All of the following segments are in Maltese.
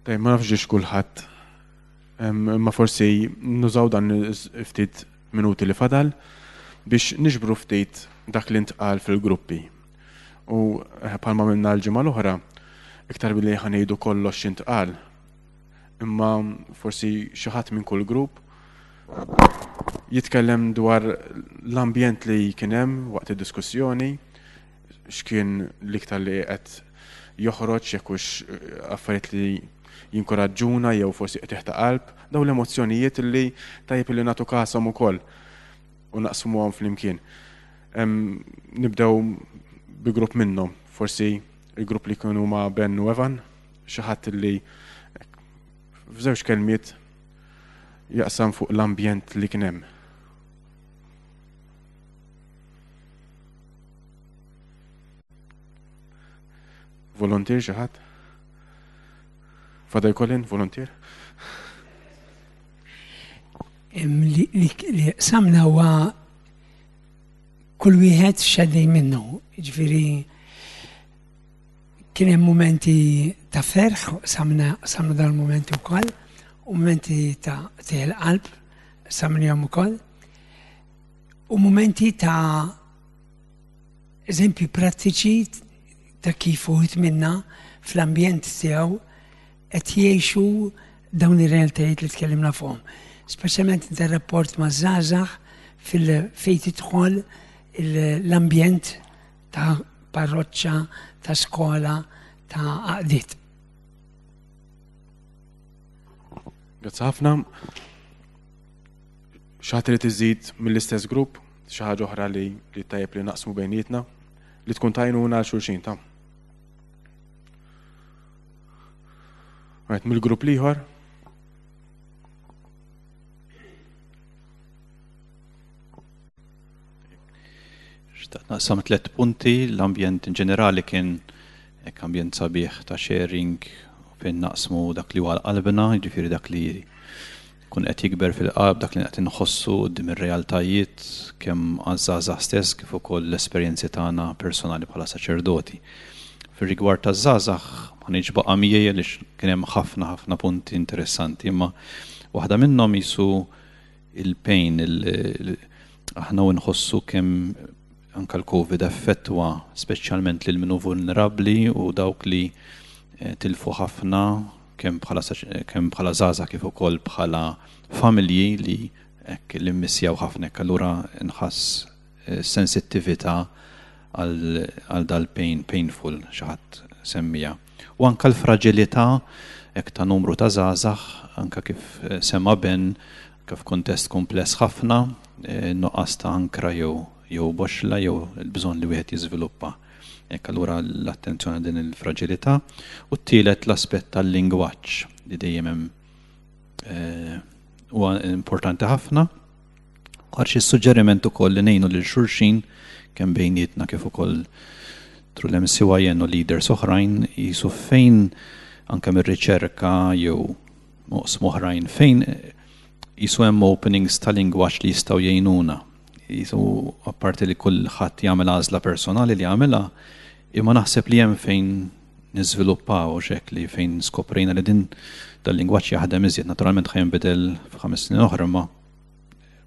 Tajjeb, ma nafx ġiex kulħadd, imma forsi nużaw dan ftit minuti li fadal biex niġbru ftit dak li ntqal fil-gruppi. U eh, bħalma minna l-ġimgħa l-oħra, iktar billi ħanejdu kollox x'intqal, imma forsi xi ħadd minn kull grupp jitkellem dwar l-ambjent li kien hemm waqt id-diskussjoni, x'kien l-iktar li qed joħroġ jekk hux affarijiet li jinkoraġġuna jew forsi qtigħ ta' qalb, dawn l-emozzjonijiet li tajjeb li nagħtu kashom ukoll u naqsmuhom flimkien. Nibdew bi grupp minnhom, forsi il-grupp li kienu ma' Ben u Evan, xi ħadd li f'żewġ kelmiet jaqsam fuq l-ambjent li kien hemm. Volontier xi ħadd? Father Colin, volontier? Li samna huwa kull wieħed x'għaddej minnu, ġifieri kien hemm mumenti ta' ferħ, samna samna dan mumenti wkoll, u mumenti ta' teħel qalb, samnihom ukoll. U mumenti ta' eżempji prattiċi ta' kif uħut minna fl-ambjent tiegħu qed jgħixu dawn ir-realtajiet li tkellimna fuqhom. Speċjalment inter-rapport ma' żgħażagħ fil-fejn tidħol l-ambjent ta' parroċċa, ta' skola, ta' għaqdiet. Grazzi ħafna. Xi ħadd irid iżid mill-istess grupp, xi ħaġa oħra li li tajjeb li naqsmu bejnietna, li tkun tajnuna għal xulxin ta'. Right, mill-grupp l-ieħor. Xtaqt naqsam tlet punti, l-ambjent in ġenerali kien hekk ambjent sabiħ ta' sharing fejn naqsmu dak li huwa qalbna, jiġifieri dak li jkun qed jikber fil-qalb, dak li qed inħossu quddiem ir-realtajiet kemm għaż-żgħażagħ stess kif ukoll l-esperjenzi tagħna personali bħala saċerdoti. Fir-rigward taż-żgħażagħ ma ngħidx baqa' miegħi għaliex kien hemm ħafna ħafna punti interessanti, imma waħda minnhom qisu il-pain, aħna u nħossu kemm anka l-Covid effettwa speċjalment lil min hu vulnerabbli u dawk li eh, tilfu ħafna kemm bħala kemm bħala żgħażagħ kif ukoll bħala familji li hekk li mmissjaw ħafna hekk allura nħass eh, sensittività għal dal-pain painful xi ħadd semmija. U anka l-fraġilità hekk ta' numru ta' żgħażagħ anka kif eh, sema Ben kif kuntest kumpless ħafna, eh, nuqqas ta' ankra jew jew boxla jew il-bżonn li wieħed jiżviluppa. Hekk allura l-attenzjoni din il-fraġilità. U t-tielet l-aspett tal-lingwaġġ li dejjem hemm eh, huwa importanti ħafna. Għar xi suġġeriment ukoll li ngħinu lil xulxin kemm bejnietna kif ukoll tru l-MCYN u leaders oħrajn jisu fejn anke mir-riċerka jew oqsma oħrajn fejn jisu hemm openings ta' lingwaġġ li jistgħu jgħinuna. Jisu apparti li kulħadd jagħmel għażla personali li jagħmilha, imma naħseb li hemm fejn niżviluppaw xek li fejn skoprejna li din dal-lingwaġġ jaħdem iżjed. Naturalment ħa jinbidel f'ħames snin oħra ma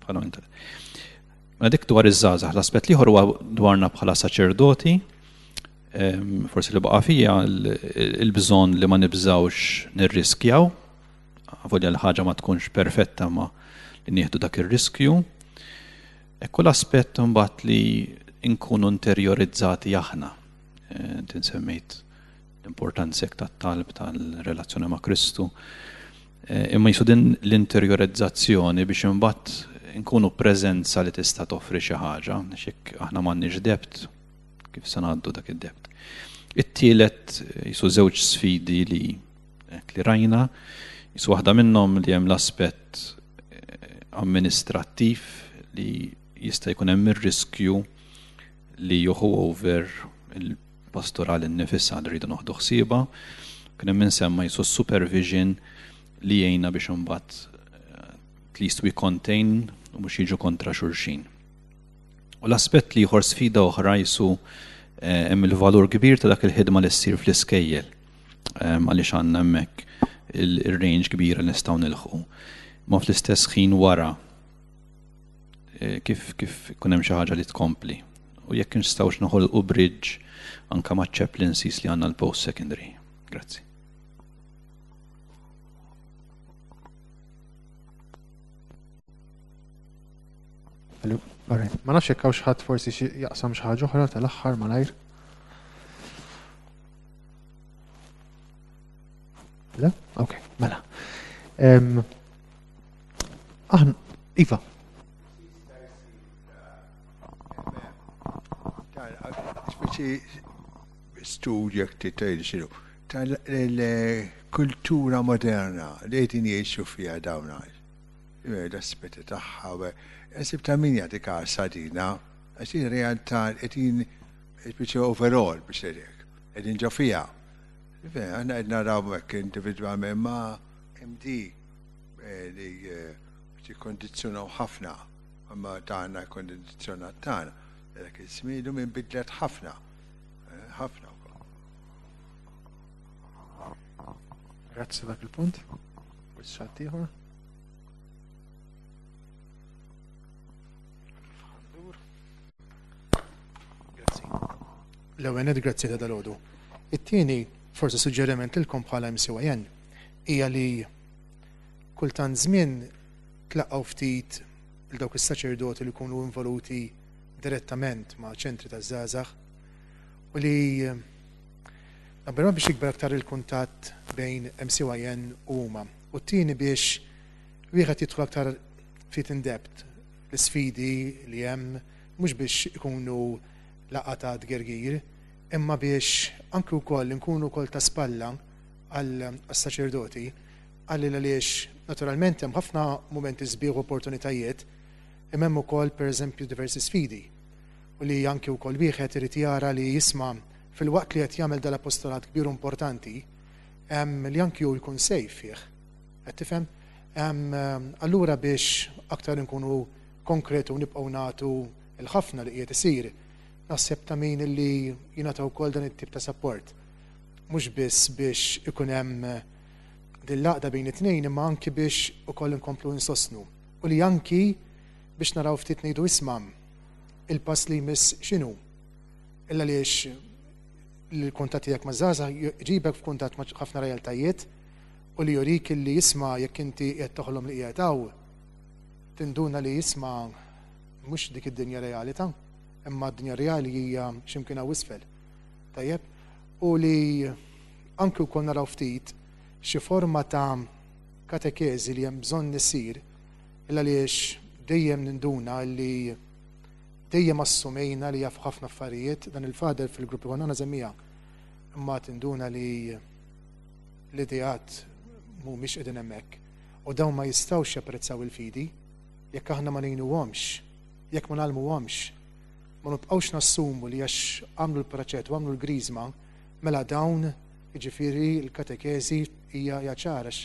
bħala Mela dik dwar iż-żgħażagħ, l-aspett l-ieħor huwa dwarna bħala saċerdoti, forsi li baqa' fija il-bżonn li ma nibżgħux nirriskjaw, avolja l-ħaġa ma tkunx perfetta ma li nieħdu dak ir-riskju. Ekku l-aspett imbagħad li nkunu interiorizzati aħna. Eh, inti semmejt l-importanza tat-talb tal-relazzjoni ma' Kristu. Eh, imma jisu din l-interiorizzazzjoni biex imbagħad nkunu preżenza li tista' toffri xi ħaġa, xek aħna m'għandniex debt, kif se ngħaddu dak id-debt. It-tielet jisu żewġ sfidi li li rajna, jisu waħda minnhom li hemm l-aspett eh, amministrattiv li jista' jkun hemm ir-riskju li joħu over il-pastoral innifisha li rridu noħdu ħsiebha. Kien hemm insemma jisu supervision li jgħinna biex imbagħad eh, at least we contain u mhux jiġu kontra xulxin. U l-aspett li ieħor sfida oħra jisu eh, hemm il-valur kbir ta' dak il-ħidma li ssir fl-iskejjel. Għaliex għandna hemmhekk il-range kbira li nistgħu nilħqu. Ma fl-istess ħin wara eh, kif kif ikun hemm xi ħaġa li tkompli. U jekk nistgħux noħolqu bridge anka ma' chaplaincies li għandna l-post secondary. Grazzi. Ma nafx jekk hawn xi ħadd forsi jaqsam xi ħaġa oħra tal-aħħar malajr. Le? Ok, mela. Aħna, Iva. Speċi studju jekk tgħid xinu tal-kultura moderna li qegħdin jgħixu fiha dawn l-aspetti tagħha. Nsib ta' min jagħti każ dina, għax realtà qegħdin speċi overall biex ngħidlek, qegħdin ġo fiha. Aħna qed naraw hekk individwalment ma MD eh, li eh, tikkondizzjonaw ħafna, imma tagħna kondizzjonat tagħna. Dak iż-żmien minn bidlet ħafna, eh, ħafna wkoll. Grazzi dak il-punt. Forsi xi ieħor. Grazzi. L-ewwel grazzi ta' dalgħodu. It-tieni, forsi suġġeriment lilkom bħala MCYN, hija li kultant żmien tlaqqgħu ftit il dawk is-saċerdoti li jkunu involuti direttament ma' ċentri ta' żgħażagħ u li number one biex jikber aktar il-kuntatt bejn MCYN u huma. U t-tieni biex wieħed jidħol aktar ftit in depth l-isfidi li hemm mhux biex ikunu laqgħa ta' tgergir, imma biex anki wkoll inkunu wkoll ta' spalla għas-saċerdoti, għalli għaliex naturalment hemm ħafna mumenti sbieħ u opportunitajiet, imma hemm ukoll pereżempju diversi sfidi u li anki wkoll wieħed irid jara li jisma' filwaqt li qed jagħmel dal-apostolat kbir u importanti, li anki hu jkun safe fih. Qed tifhem? Allura biex aktar inkunu konkret u nibqgħu nagħtu l-ħafna li qiegħed isir, naħseb ta' min li jingħata wkoll dan it-tip ta' support. Mhux biss biex ikun hemm din l-għaqda bejn it-tnejn imma anki biex ukoll inkomplu insostnu. U li anki biex naraw ftit ngħidu isma' il-pass li jmiss x'inhu. Illa għaliex l-kuntatt tiegħek ma' żgħażagħ jġibek f'kuntatt ma' ħafna realtajiet u li jurik li jisma' jekk inti qiegħed toħlom li qiegħed hawn, tinduna li jisma' mhux dik id-dinja reali ta' imma d-dinja reali hija x'imkien hawn isfel. Tajjeb? U li anki wkoll naraw ftit xi forma ta' katekeżi li hemm bżonn isir illa għaliex dejjem ninduna li dejjem assumejna li jaf ħafna affarijiet dan il-fader fil-gruppi konna għandna żemmija imma tinduna li l-ideat mhumiex qegħdin hemmhekk u dawn ma jistgħux japprezzaw il-fidi jekk aħna ma ngħinuhomx, jekk ma ngħallmuhomx, ma nibqgħux nassumu li għax għamlu l-praċett u għamlu l-griżma, mela dawn jiġifieri l-katekeżi hija hija ċara għax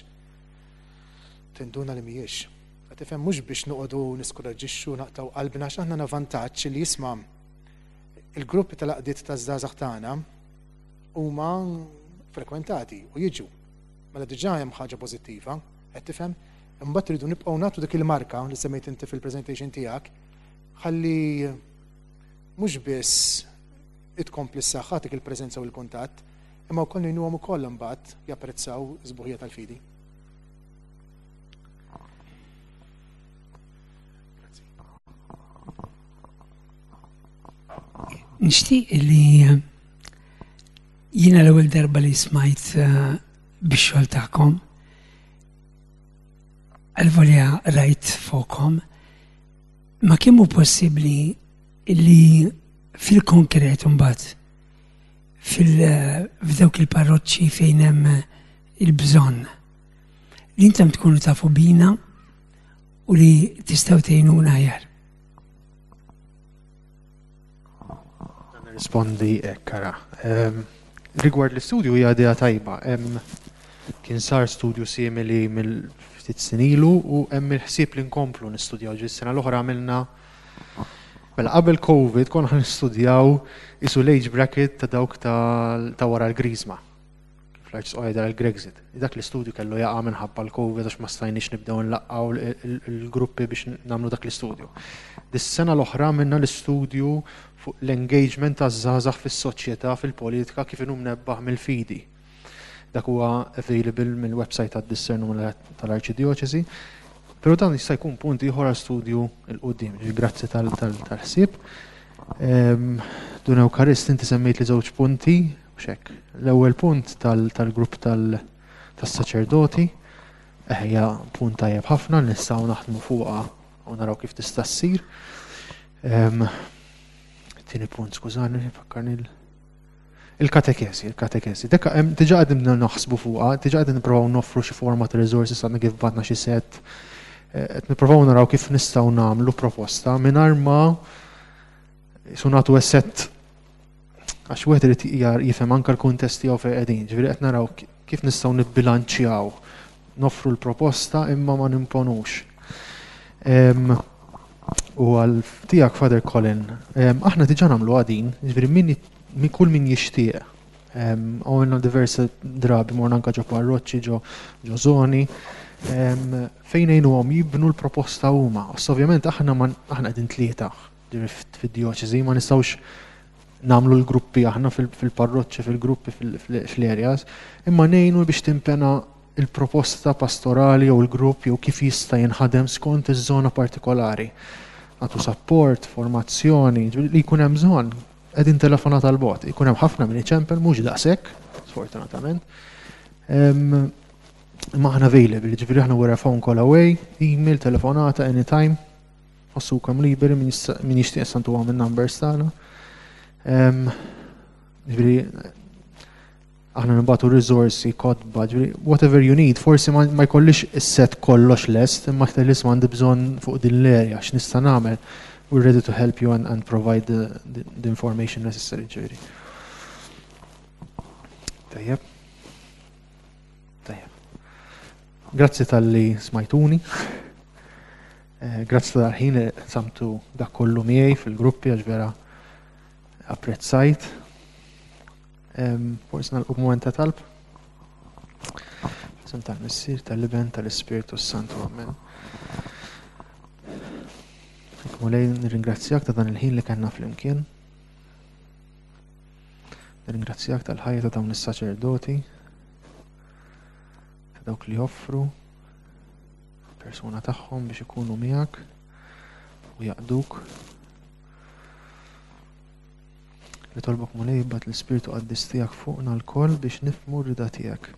tinduna li mhijiex. Qed tifhem mhux biex noqogħdu niskoraġġixxu naqtgħu qalbna għax aħna għandna vantaġġ li jisma' il-gruppi tal-għaqdiet taż-żgħażagħ tagħna huma frekwentati u jiġu. Mela diġà hemm ħaġa pożittiva, qed tifhem? Imbagħad rridu nibqgħu nagħtu dik il-marka li semmejt inti fil-presentation tiegħek ħalli mhux biss itkompli s-saħħa dik il-preżenza u l-kuntatt, imma wkoll ngħinuhom ukoll imbagħad japprezzaw is-sbuħija tal-fidi. Nixtieq li jiena l-ewwel darba li smajt eh, bix-xogħol tagħkom għal-volja rajt fuqhom ma kemm hu possibbli li fil-konkret imbagħad fil-f'dawk il-parroċċi fejn hemm il-bżonn li intom tkunu tafu bina u li tistgħu tgħinuna aħjar. Nirrispondi hekk ara. Ehm, rigward l-istudju hija idea tajba. Kien sar studju simili mill-ftit snin ilu u hemm il-ħsieb li nkomplu nistudjaw ġi sena l-oħra għamilna Mela qabel Covid konna nistudjaw isu l-age bracket ta' dawk ta' wara l-griżma. Fl-Arċisqof jgħidha l-Grexit. Dak l-istudju kellu jaqa' minħabba l-Covid għax ma stajniex nibdew nlaqqgħu l-gruppi biex nagħmlu dak l-istudju. Dis-sena l-oħra għamilna l-istudju fuq l-engagement taż-żgħażagħ fis-soċjetà, fil-politika kif inhu mnebbaħ mill-fidi. Dak huwa available mill-website tad-Discern tal-Arċidjoċesi. Però dan jista' jkun punt ieħor għal studju 'l quddiem. Grazzi tal-ħsieb. Dun Ewkarist, inti semmejt li żewġ punti, mhux hekk. L-ewwel punt tal-grupp tas-saċerdoti, hija punt tajjeb ħafna li nistgħu naħdmu fuqha u naraw kif tista' ssir. Tieni punt, skużani, fakkarni il-katekesi, il-katekesi. Dekka diġà qegħdin naħsbu fuqha, diġà qegħdin nippruvaw noffru xi forma ta' resources għandna kif batna xi set. Qed nippruvaw naraw kif nistgħu nagħmlu proposta mingħajr ma su nagħtu set għax wieħed irid jifhem anke l-kuntest tiegħu fejn qegħdin. Ġifieri qed naraw kif nistgħu nibbilanċjaw noffru l-proposta imma ma nimponux. U għal tiegħek Father Colin, aħna diġà nagħmlu għadin, ġifieri min kull min jixtieq. Għamilna diversi drabi morna anke ġo parroċċi, ġo żoni, fejn ngħinuhom jibnu l-proposta huma. Ovvjament aħna aħna qegħdin tlieta fid-djoċesi, ma nistgħux nagħmlu l-gruppi aħna fil-parroċċi, fil-gruppi, fl-areas, imma ngħinu biex timpena il-proposta pastorali jew il-grupp jew kif jista' jinħadem skont iż-żona partikolari. Nagħtu support, formazzjoni, li jkun hemm bżonn, qegħdin telefonat għal bot. Ikun hemm ħafna min iċempel mhux daqshekk, sfortunatament. Imma aħna available, ġifieri aħna we're a phone call away, email, telefonata, anytime. Ħossukom liberi min jixtieq santu għam il-numbers tagħna. Ġifieri aħna nibatu risorsi, kotba, ġifieri whatever you need, forsi ma jkollix is-set kollox lest, imma aktar li għandi bżonn fuq din l-area, x'nista' nagħmel. We're ready to help you and provide the information necessary, ġifieri. Tajjeb. Tajjeb. Grazzi talli smajtuni. Grazzi tal-ħin li samtu dak kollu miegħi fil-gruppi għax vera apprezzajt. Forsi nagħlqu b'mument ta' talb. F'isem tal-Missier, tal-Iben, tal-Ispirtu s-Santu. Amen. Mulej, nirringrazzjak ta' dan il-ħin li kellna flimkien. Nirringrazzjak tal-ħajja ta' dawn is-saċerdoti, ta' dawk li joffru persuna tagħhom biex ikunu miegħek u jaqduk. Nitolbok Mulej ibgħat l-Ispirtu Qaddis tiegħek fuqna lkoll biex nifhmu r-rida tiegħek.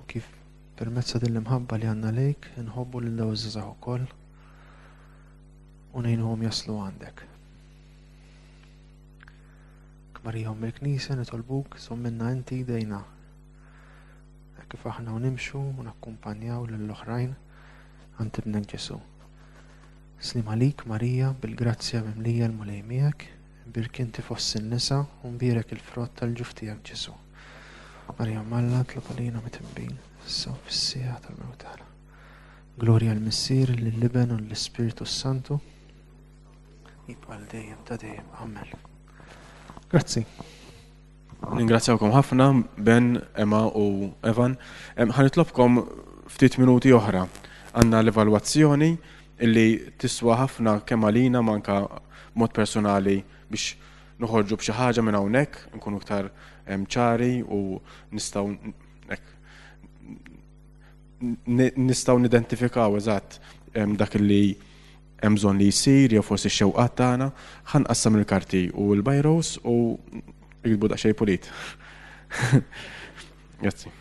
U kif permezz ta' din l-imħabba li għandna lejk inħobbu lil dawn iż-żgħażagħ ukoll u ngħinuhom jaslu għandek. Marija Omm il-Knisja nitolbuk żomminna inti jdejna. Hekk kif aħna u nimxu u nakkumpanjaw lill-oħrajn għand ibnek Ġesu. Sliem għalik Marija, bil-grazzja mimlija l-Mulej miegħek, imbierka inti fost in-nisa u mbierek il-frott tal-ġuf tiegħek Ġesu. Marija Omm Alla, itlob għalina midinbin, issa u fis-siegħa tal-mewt tagħna. Glorja l-Missier, lill-Iben u l-Ispirtu s-Santu. Jibqa' għal dejjem ta' dejjem. Amen. Grazzi. Ningrazzjawkom ħafna, Ben, Emma u Evan. Ħa nitlobkom ftit minuti oħra. Għandna l-evalwazzjoni illi tiswa ħafna kemm għalina ma anka mod personali biex noħorġu b'xi ħaġa minn hawnhekk, nkunu iktar ċari u nistgħu nistgħu nidentifikaw eżatt dak li hemm bżonn li jsir jew forsi x-xewqat tagħna. Ħa nqassam il-karti u l-bajros u iktbu daqsxejn pulit. Grazzi.